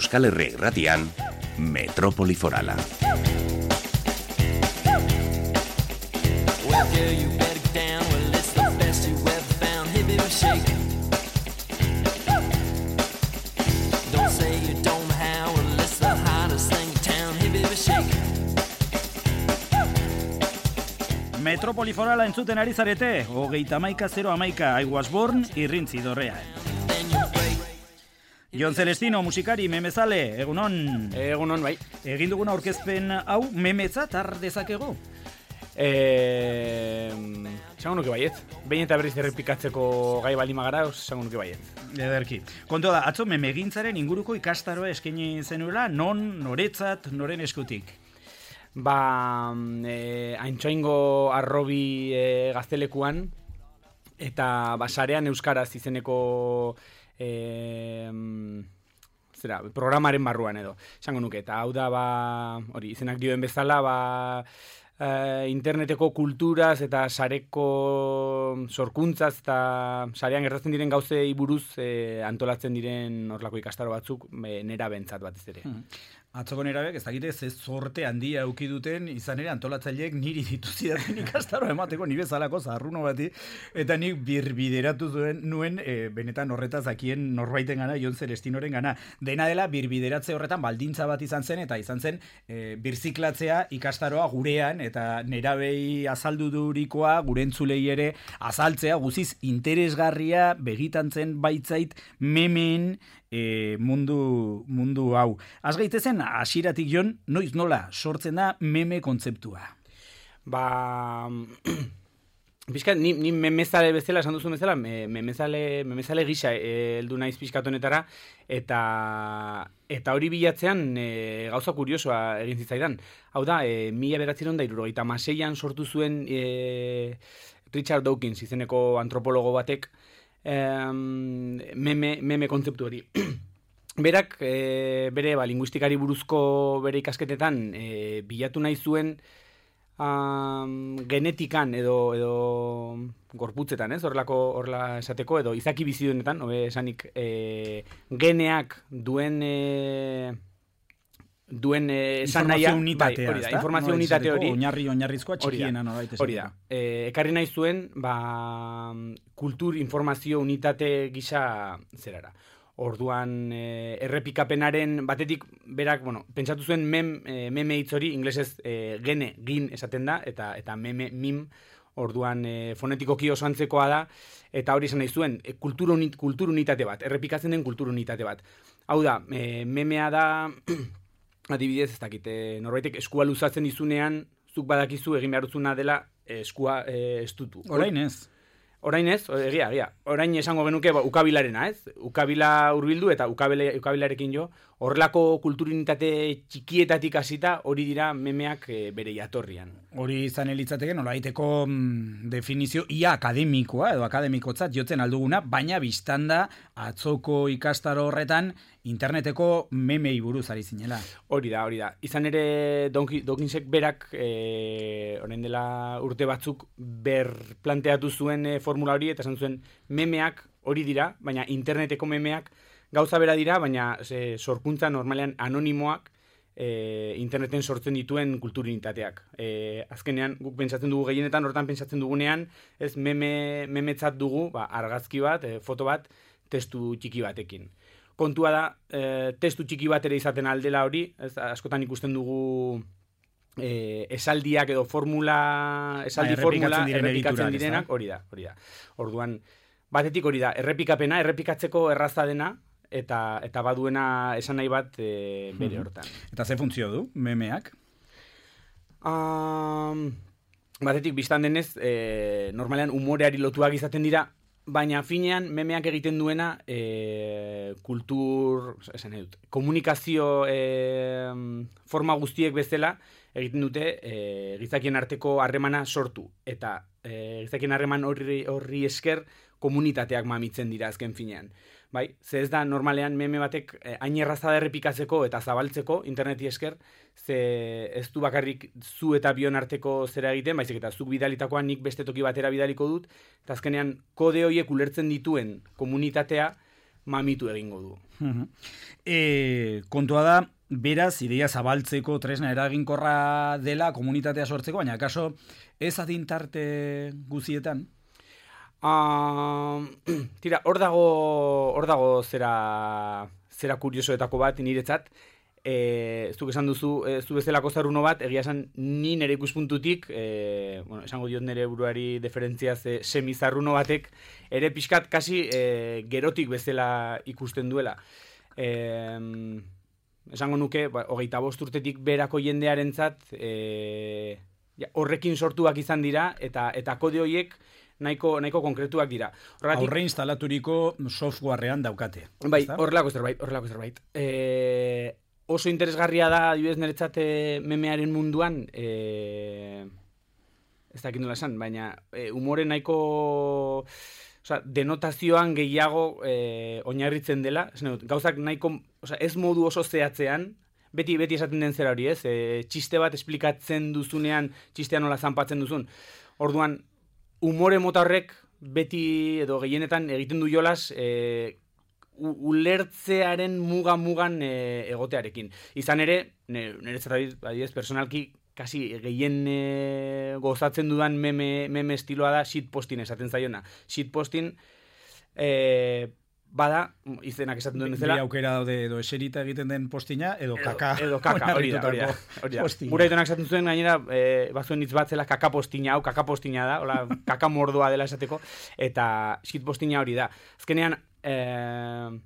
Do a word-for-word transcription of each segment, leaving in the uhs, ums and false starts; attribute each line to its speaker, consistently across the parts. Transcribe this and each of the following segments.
Speaker 1: Euskal Herria Irratian, Metrópoli Forala.
Speaker 2: Metrópoli Forala entzuten ari zarete, hogeita hamaika zero hamaika I was born irrintzi dorrean. Jon Celestino, musikari, memezale, egunon?
Speaker 3: Egunon, bai.
Speaker 2: Egin duguna aurkezpen hau, memetzat har dezakego?
Speaker 3: Eh, Esango nuke baiet. Behin eta berriz errepikatzeko gai balimagara, esango nuke baiet.
Speaker 2: Ederki. Kontua da, atzo memegintzaren inguruko ikastaroa eskaini zenuela, non, noretzat, noren eskutik?
Speaker 3: Ba, eh, Aintxoingo arrobi eh, gaztelekuan, eta basarean euskaraz izeneko eh, zera, programaren barruan edo, esango nuke, eta hau da, ba, hori, izenak dioen bezala, ba, eh, interneteko kulturaz eta sareko sorkuntzaz eta sarean gertatzen diren gauzei buruz eh, antolatzen diren horlako ikastaro batzuk eh, nera bentzat batez ere.
Speaker 2: Hmm. Atzoko nerabek, ez dakite, ze zorte handia auki duten, izan ere antolatzaileek niri dituzidaten ikastaro emateko, ni bezalako zarruno bati, eta nik birbideratu zuen nuen, e, benetan horretaz dakien norbaiten gana, Jon Celestinoren gana. Dena dela, birbideratze horretan baldintza bat izan zen, eta izan zen, e, birziklatzea ikastaroa gurean, eta nerabei azaldu durikoa, gure entzulei ere azaltzea, guziz interesgarria, begitantzen baitzait, memen, E, mundu, mundu hau. Az gaitezen, hasieratik Jon, noiz nola sortzen da meme kontzeptua?
Speaker 3: Ba, pixka, ni, ni memezale bezala, esan duzu bezala, me, memezale, memezale gisa heldu naiz pixkatonetara, eta eta hori bilatzean e, gauza kuriosoa egin zitzaidan. Hau da, e, mila bederatziehun eta hirurogeita hamaseian sortu zuen e, Richard Dawkins izeneko antropologo batek, Um, meme, meme kontzeptu hori. Berak, e, bere ba, linguistikari buruzko bere ikasketetan e, bilatu nahi zuen um, genetikan edo, edo gorputzetan, ez? Horrelako, horrela esateko, edo izaki bizidunetan, hobe esanik, e, geneak duen... E, duen eh, esan
Speaker 2: informazio unitatea,
Speaker 3: bai, hori da, informazio
Speaker 2: no,
Speaker 3: unitate hori
Speaker 2: oinarri oinarrizkoa txikiena norbait esateko.
Speaker 3: Hori da. Eh, ekarri nahi zuen, ba, kultur informazio unitate gisa zerara. Orduan eh, errepikapenaren batetik berak, bueno, pentsatu zuen mem, eh, meme hitz hori inglesez eh, gene, gin esaten da, eta eta meme, mim, orduan eh, fonetikoki oso antzekoa da, eta hori esan nahi zuen, eh, kultur, unit, kultur unitate bat, errepikatzen den kultur unitate bat. Hau da, eh, memea da... Adibidez, ez dakit, e, norbaitek eskua luzatzen izunean, zuk badakizu egin behar duzuna dela eskua e, estutu.
Speaker 2: Orain ez.
Speaker 3: Orain ez, egia, egia. Orain esango genuke ba, ukabilarena, ez? Ukabila hurbildu eta ukabile, ukabilarekin jo. Horrelako kulturinitate txikietatik hasita hori dira memeak e, bere jatorrian.
Speaker 2: Hori izan elitzateke, nolabaiteko mm, definizio ia akademikoa edo akademikotzat jotzen alduguna, baina biztanda atzoko ikastaro horretan interneteko memei buruz ari zinela.
Speaker 3: Hori da, hori da. Izan ere Dawkinsek berak e, orain dela urte batzuk ber planteatu zuen e, formula hori, eta esan zuen memeak hori dira, baina interneteko memeak gauza bera dira, baina e, sorkuntza normalean anonimoak e, interneten sortzen dituen kulturinitateak. E, azkenean, guk pentsatzen dugu gehienetan, hortan pentsatzen dugunean, ez meme, memetzat dugu, ba, argazki bat, e, foto bat, testu txiki batekin. Kontua da, e, testu txiki bat ere izaten aldela hori, ez, askotan ikusten dugu e, esaldiak edo formula, esaldi
Speaker 2: ba,
Speaker 3: formula
Speaker 2: diren
Speaker 3: errepikatzen
Speaker 2: editurak,
Speaker 3: direnak, hori da, hori da. Orduan, batetik hori da, errepikapena, errepikatzeko erraza dena, eta eta baduena esan nahi bat e, bere hortan.
Speaker 2: Eta ze funtzio du, memeak?
Speaker 3: Um, batetik, biztan denez, e, normalean umoreari lotuak izaten dira, baina finean memeak egiten duena e, kultur, esan nahi dut, komunikazio e, forma guztiek bezala egiten dute e, gizakien arteko harremana sortu. Eta e, gizakien harreman horri, horri esker komunitateak mamitzen dira azken finean. Bai, ze ez da normalean meme batek eh, hain erraza da errepikatzeko eta zabaltzeko interneti esker, ze ez du bakarrik zu eta bion arteko zera egiten, baizik eta zuk bidalitakoa nik beste toki batera bidaliko dut, eta azkenean kode horiek ulertzen dituen komunitatea, mamitu egingo du.
Speaker 2: E, kontua da, beraz, ideia zabaltzeko tresna eraginkorra dela komunitatea sortzeko, baina kaso ez adintarte guzietan?
Speaker 3: Uh, tira, hor dago, hor dago zera, zera kuriosoetako bat niretzat. E, ez duk esan duzu, ez du bezalako zarruno bat, egia esan ni nire ikuspuntutik, e, bueno, esango diot nire buruari deferentziaz e, semizarruno batek, ere pixkat kasi e, gerotik bezala ikusten duela. E, esango nuke, ba, hogeita bost urtetik berako jendearentzat e, ja, horrekin sortuak izan dira, eta eta kode horiek nahiko, nahiko konkretuak dira. Horregatik,
Speaker 2: aurre instalaturiko softwarean daukate.
Speaker 3: Bai, horrelako zerbait, horrelako zerbait. E, oso interesgarria da, adibidez niretzat memearen munduan, e, ez dakit nola esan, baina e, umore nahiko, osea, denotazioan gehiago e, oinarritzen dela, dut, gauzak nahiko, osea, ez modu oso zehatzean, beti beti esaten den zera hori, ez? E, txiste bat esplikatzen duzunean, txistea nola zanpatzen duzun. Orduan, umore mota horrek beti edo gehienetan egiten du jolas, e, ulertzearen muga-mugan e, egotearekin. Izan ere, niretzat adibidez, personalki, kasi gehien e, gozatzen dudan meme, meme estiloa da shitposting esaten zaiona. Shitposting, e, bada, izenak esaten duen bezala.
Speaker 2: Bi aukera daude edo eserita egiten den postina, edo kaka.
Speaker 3: Edo, edo kaka, hori da, hori da. Hori da. Gura itonak esaten zuen, gainera, e, bazuen hitz bat zela kaka postina, hau kaka postina da, hola, kaka mordoa dela esateko, eta shitpostina hori da. Azkenean, e,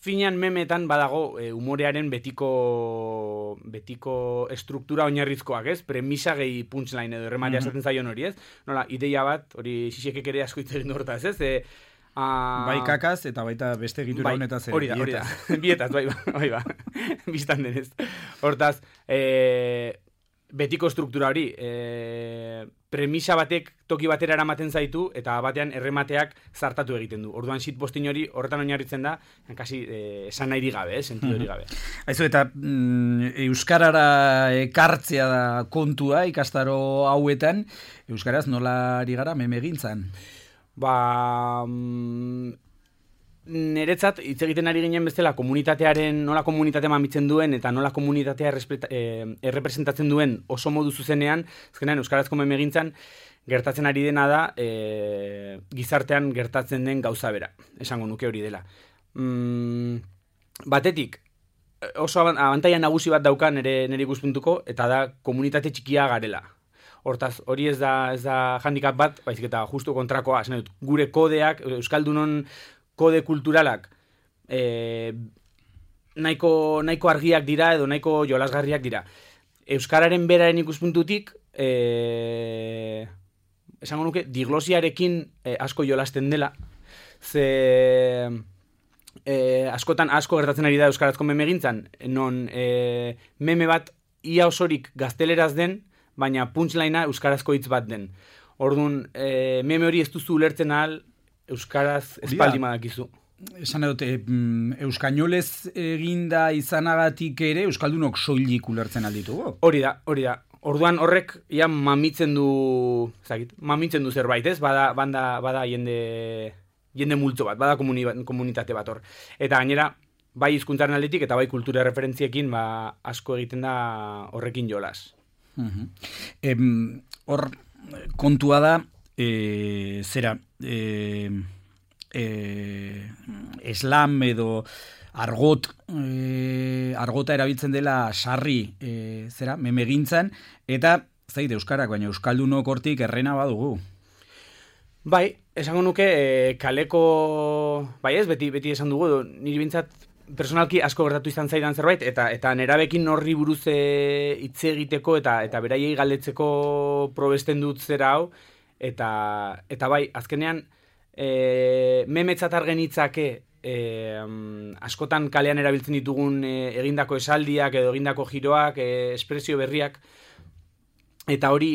Speaker 3: finean memetan badago e, umorearen betiko betiko estruktura oinarrizkoak, ez? Premisa gehi punchline edo errematea esaten zaion hori, ez? Nola, ideia bat, hori xixekek ere asko hitz egin du hortaz, ez? E, a...
Speaker 2: Bai kakaz eta baita beste egitura
Speaker 3: bai,
Speaker 2: honetaz ere.
Speaker 3: Hori da, hori da. Bietaz, bai, bai, bai. Bistan denez. Hortaz, e, betiko struktura hori, e, premisa batek toki batera eramaten zaitu, eta batean erremateak zartatu egiten du. Orduan shitposting hori horretan oinarritzen da, kasi e, esan nahi gabe, eh, sentido hori gabe.
Speaker 2: Aizu, eta mm, euskarara ekartzea da kontua ikastaro hauetan, euskaraz nola ari gara memegintzan?
Speaker 3: Ba... Mm, niretzat, hitz egiten ari ginen bezala, komunitatearen, nola komunitatea mamitzen duen, eta nola komunitatea eh, errepresentatzen duen oso modu zuzenean, azkenean euskarazko memegintzan, gertatzen ari dena da, e, gizartean gertatzen den gauza bera, esango nuke hori dela. Mm, batetik, oso abantaia nagusi bat dauka nire, nire ikuspuntuko, eta da komunitate txikia garela. Hortaz, hori ez da, ez da handicap bat, baizik eta justu kontrakoa, esan dut, gure kodeak, euskaldunon kode kulturalak e, nahiko, nahiko argiak dira edo nahiko jolasgarriak dira. Euskararen beraren ikuspuntutik, e, esango nuke, diglosiarekin e, asko jolasten dela, ze e, askotan asko gertatzen ari da euskarazko memegintzan, non e, meme bat ia osorik gazteleraz den, baina punchlinea euskarazko hitz bat den. Orduan, e, meme hori ez duzu ulertzen ahal, euskaraz espaldi madakizu.
Speaker 2: Esan dut, e, euskainolez eginda izanagatik ere, euskaldunok soilik ulertzen alditugu.
Speaker 3: Hori da, hori da. Orduan horrek ja mamitzen du, zakit, mamitzen du zerbait, ez? Bada, banda, bada jende, jende multzo bat, bada komuni, komunitate bat hor. Eta gainera, bai hizkuntzaren aldetik eta bai kultura referentziekin ba, asko egiten da horrekin jolas.
Speaker 2: Uh-huh. Em, hor, kontua da, e, zera, e, e, eslam edo argot, e, argota erabiltzen dela sarri, e, zera, memegintzan, eta zaite euskarak, baina euskaldunok hortik errena badugu.
Speaker 3: Bai, esango nuke e, kaleko, bai ez, beti, beti esan dugu, niri bintzat personalki asko gertatu izan zaidan zerbait, eta eta nerabekin horri buruz hitz egiteko eta eta beraiei galdetzeko probesten dut zera hau, eta eta bai, azkenean e, memetzat argen hitzake e, askotan kalean erabiltzen ditugun e, egindako esaldiak edo egindako giroak, e, espresio berriak, eta hori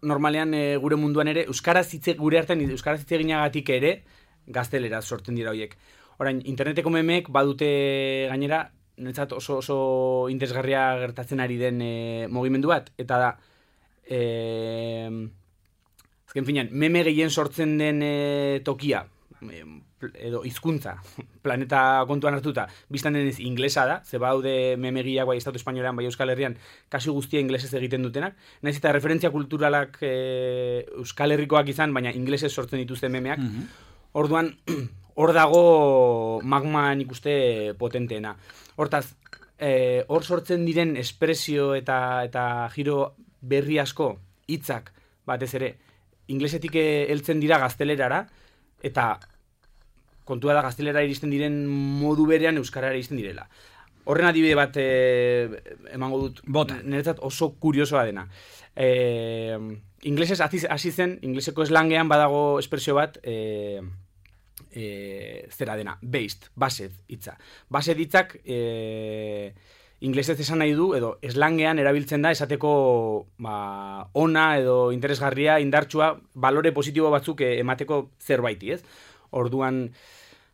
Speaker 3: normalean e, gure munduan ere euskaraz hitze gure artean euskaraz hitz eginagatik ere gazteleraz sortzen dira horiek. Orain, interneteko memeek badute gainera, niretzat oso, oso interesgarria gertatzen ari den e, mugimendu bat, eta da, e, azken finean, meme gehien sortzen den e, tokia, e, edo hizkuntza planeta kontuan hartuta, biztan denez inglesa da, ze baude memegiak bai Estatu Espainolean, bai Euskal Herrian, kasi guztia inglesez egiten dutenak, nahiz eta referentzia kulturalak e, Euskal Herrikoak izan, baina inglesez sortzen dituzte memeak, mm-hmm. Orduan, hor dago magma nik uste potenteena. Hortaz, e, hor sortzen diren espresio eta, eta giro berri asko, hitzak batez ere, inglesetik heltzen dira gaztelerara, eta kontua da gaztelera iristen diren modu berean euskarara iristen direla. Horren adibide bat e, emango dut,
Speaker 2: bota,
Speaker 3: niretzat oso kuriosoa dena. E, inglesez hasi zen, ingleseko slangean badago espresio bat, e, e, zera dena, based, based hitza. Based hitzak e, inglesez esan nahi du, edo slangean erabiltzen da esateko ba, ona edo interesgarria, indartsua, balore positibo batzuk emateko zerbaiti, ez? Orduan,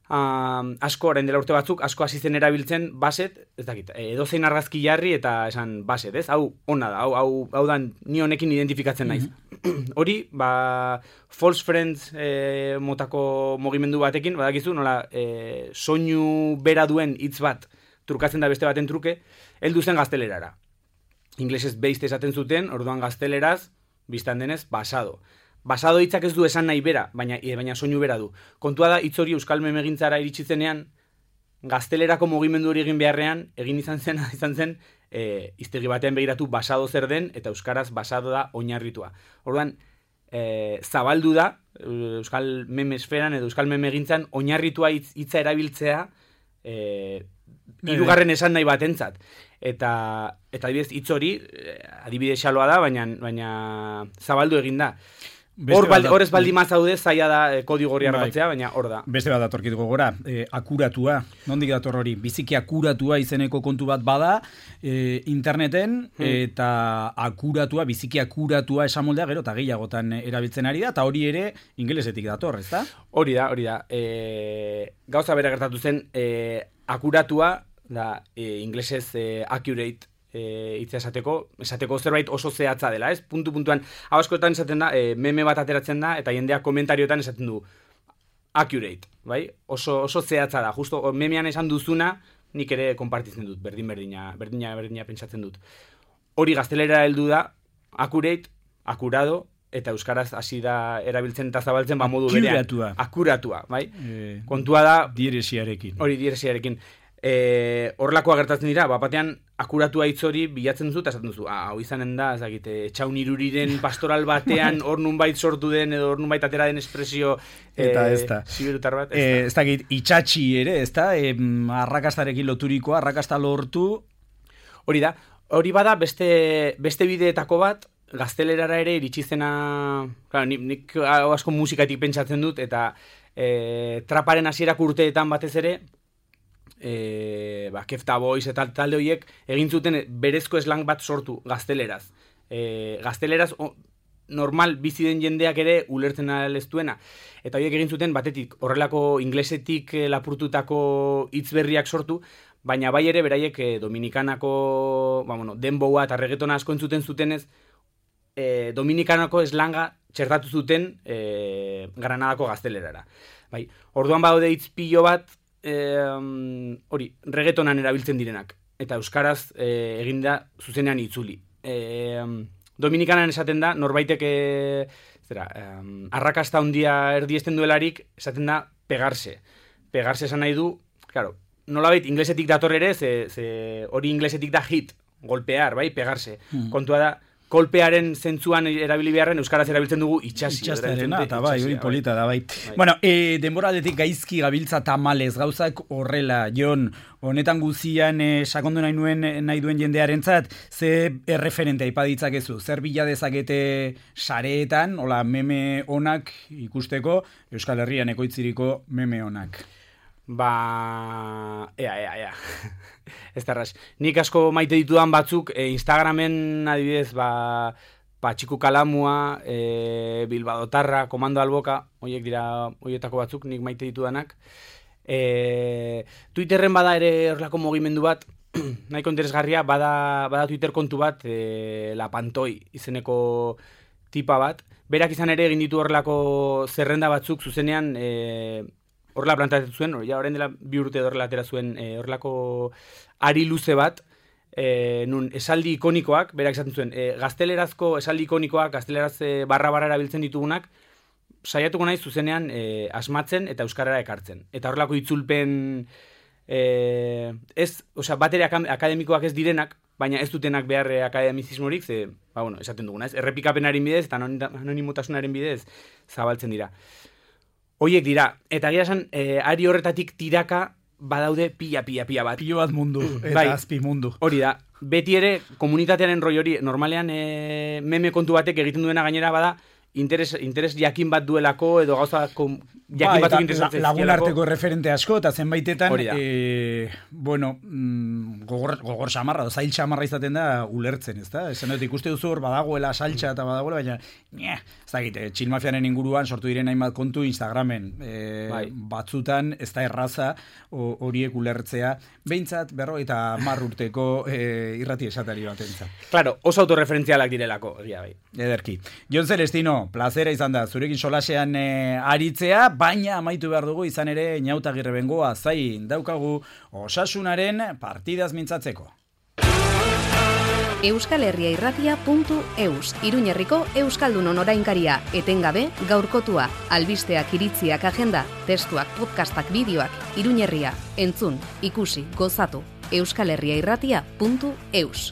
Speaker 3: uh, asko, orain dela urte batzuk, asko hasi zen erabiltzen baset, ez dakit, edozein argazki jarri eta esan baset, ez? Hau ona da, hau, hau, hau da ni honekin identifikatzen naiz. Mm-hmm. Hori, ba, false friends e, motako mugimendu batekin, badakizu, nola, e, soinu bera duen hitz bat, trukatzen da beste baten truke, heldu zen gaztelerara. Inglesez based esaten zuten, orduan gazteleraz, biztan denez, basado. Basado hitzak ez du esan nahi bera, baina, baina soinu bera du. Kontua da, hitz hori euskal memegintzara iritsi zenean, gaztelerako mugimendu hori egin beharrean, egin izan zen, izan zen, e, iztegi batean begiratu basado zer den, eta euskaraz basado da oinarritua. Orduan, e, zabaldu da, euskal memesferan edo euskal memegintzan, oinarritua hitz, hitza erabiltzea, e, hirugarren esan nahi batentzat. Eta, eta adibidez, hitz hori, adibide xaloa da, baina, baina zabaldu egin da. Hor ez baldi mazaude, zaila da eh, kodigo gorri harrapatzea, bai. Baina hor da.
Speaker 2: Beste bat datorkituko gora, eh, akuratua, nondik dator hori, biziki akuratua izeneko kontu bat bada, eh, interneten, hmm. eta akuratua, biziki akuratua esamoldea gero, eta gehiagotan erabiltzen ari da, eta hori ere ingelesetik dator, ez da?
Speaker 3: Hori da, hori da. E, gauza bera gertatu zen, e, akuratua, da, e, inglesez e, accurate, E, hitza esateko, esateko zerbait oso zehatza dela, ez? Puntu puntuan, hau askotan esaten da, e, meme bat ateratzen da, eta jendeak komentarioetan esaten du accurate, bai? Oso, oso zehatza da, justo memean esan duzuna, nik ere konpartitzen dut, berdin berdina, berdina berdina pentsatzen dut. Hori gaztelera heldu da, accurate, akurado, eta euskaraz hasi da erabiltzen eta zabaltzen ba modu berean.
Speaker 2: Akuratua.
Speaker 3: Akuratua, bai? E, Kontua da...
Speaker 2: Diresiarekin.
Speaker 3: Hori, diresiarekin. E, horlakoa gertatzen dira, bapatean akuratua hitz hori bilatzen duzu eta esaten duzu, ah, hau izanen da, ez dakit, etxaun iruriren pastoral batean hor nunbait sortu den edo hor nunbait atera den espresio
Speaker 2: eta ez da.
Speaker 3: Siberutar bat, ez,
Speaker 2: e, ez dakit, itxatxi ere, ez da, e, arrakastarekin loturiko, arrakasta lortu.
Speaker 3: Hori da, hori bada beste, beste bideetako bat, gaztelerara ere iritsi zena, claro, nik, nik asko musikatik pentsatzen dut, eta e, traparen hasierak urteetan batez ere, E, ba, Kefta Boys eta talde horiek egin zuten berezko slang bat sortu gazteleraz. E, gazteleraz o, normal bizi den jendeak ere ulertzen aleztuena. Eta horiek egin zuten batetik horrelako inglesetik e, lapurtutako hitz berriak sortu, baina bai ere beraiek e, Dominikanako ba, bueno, denboa eta reggaetona asko entzuten zutenez, e, Dominikanako slanga txertatu zuten e, Granadako gaztelerara. Bai, orduan badaude hitz pilo bat, hori, e, reggaetonan erabiltzen direnak, eta euskaraz e, egin da zuzenean itzuli. E, Dominikanan esaten da, norbaitek e, zera, e, arrakasta handia erdiesten duelarik, esaten da pegarse. Pegarse esan nahi du, claro, nolabait inglesetik dator ere, ze, ze hori inglesetik da hit, golpear, bai, pegarse. Hmm. Kontua da, kolpearen zentzuan erabili beharren euskaraz erabiltzen dugu itxasi.
Speaker 2: Itxasterena, eta bai, hori polita da, bai. bai. Bueno, e, denboraldetik gaizki gabiltza tamalez, gauzak horrela, Jon, honetan guzian e, sakondu nahi nuen nahi duen jendearentzat, ze erreferente aipaditzakezu, zer bila dezakete sareetan, hola, meme onak ikusteko, Euskal Herrian ekoitziriko meme onak.
Speaker 3: Ba, ea, ea, ea. Ez da ras. Nik asko maite ditudan batzuk, e, Instagramen adibidez, ba, ba Txiku Kalamua, e, Bilbadotarra, Komando Alboka, horiek dira horietako batzuk, nik maite ditudanak. E, Twitterren bada ere horrelako mugimendu bat, nahiko interesgarria, bada, bada Twitter kontu bat, e, La Pantoi izeneko tipa bat. Berak izan ere egin ditu horrelako zerrenda batzuk zuzenean, e, horrela plantatzen zuen, ja orain dela bi urte horrela atera zuen e, horrelako ari luze bat, e, nun esaldi ikonikoak, berak esaten zuen, e, gaztelerazko esaldi ikonikoak, gazteleraz e, barra-barra erabiltzen ditugunak, saiatuko naiz zuzenean e, asmatzen eta euskarara ekartzen. Eta horrelako itzulpen, e, ez, osea, batere akademikoak ez direnak, baina ez dutenak behar akademizismorik, ze, ba, bueno, esaten duguna, ez, errepikapenaren bidez eta anonimotasunaren bidez zabaltzen dira. Hoiek dira, eta gira esan, e, ari horretatik tiraka badaude pila, pila, pila bat.
Speaker 2: Pilo bat mundu, eta
Speaker 3: bai,
Speaker 2: azpi mundu.
Speaker 3: Hori da, beti ere komunitatearen roi hori, normalean e, meme kontu batek egiten duena gainera bada, interes, interes jakin bat duelako, edo gauza kom, jakin
Speaker 2: ba,
Speaker 3: batzuk interesatzen
Speaker 2: la, lagun arteko referente asko, eta zenbaitetan,
Speaker 3: e,
Speaker 2: bueno, mm, gogor, gogor xamarra, zail xamarra izaten da ulertzen, ez da? Esan dut, ikuste duzu hor badagoela saltxa eta badagoela, baina, nye, ez da egite, txilmafiaren inguruan sortu diren hainbat kontu Instagramen, e, bai. Batzutan, ez da erraza horiek ulertzea, behintzat, berro, eta mar urteko e, irrati esatari batentza.
Speaker 3: Claro, oso autorreferentzialak direlako, egia bai.
Speaker 2: Ederki. Jon Celestino, plazera izan da, zurekin solasean e, aritzea, baina amaitu behar dugu izan ere Inautagirre bengoa zain daukagu osasunaren partidaz mintzatzeko.
Speaker 4: euskal herria irratia puntu eus, Iruñerriko Euskaldunon orainkaria, etengabe gaurkotua, albisteak iritziak agenda, testuak, podcastak, bideoak, Iruñerria, entzun, ikusi, gozatu, euskal herria irratia puntu eus.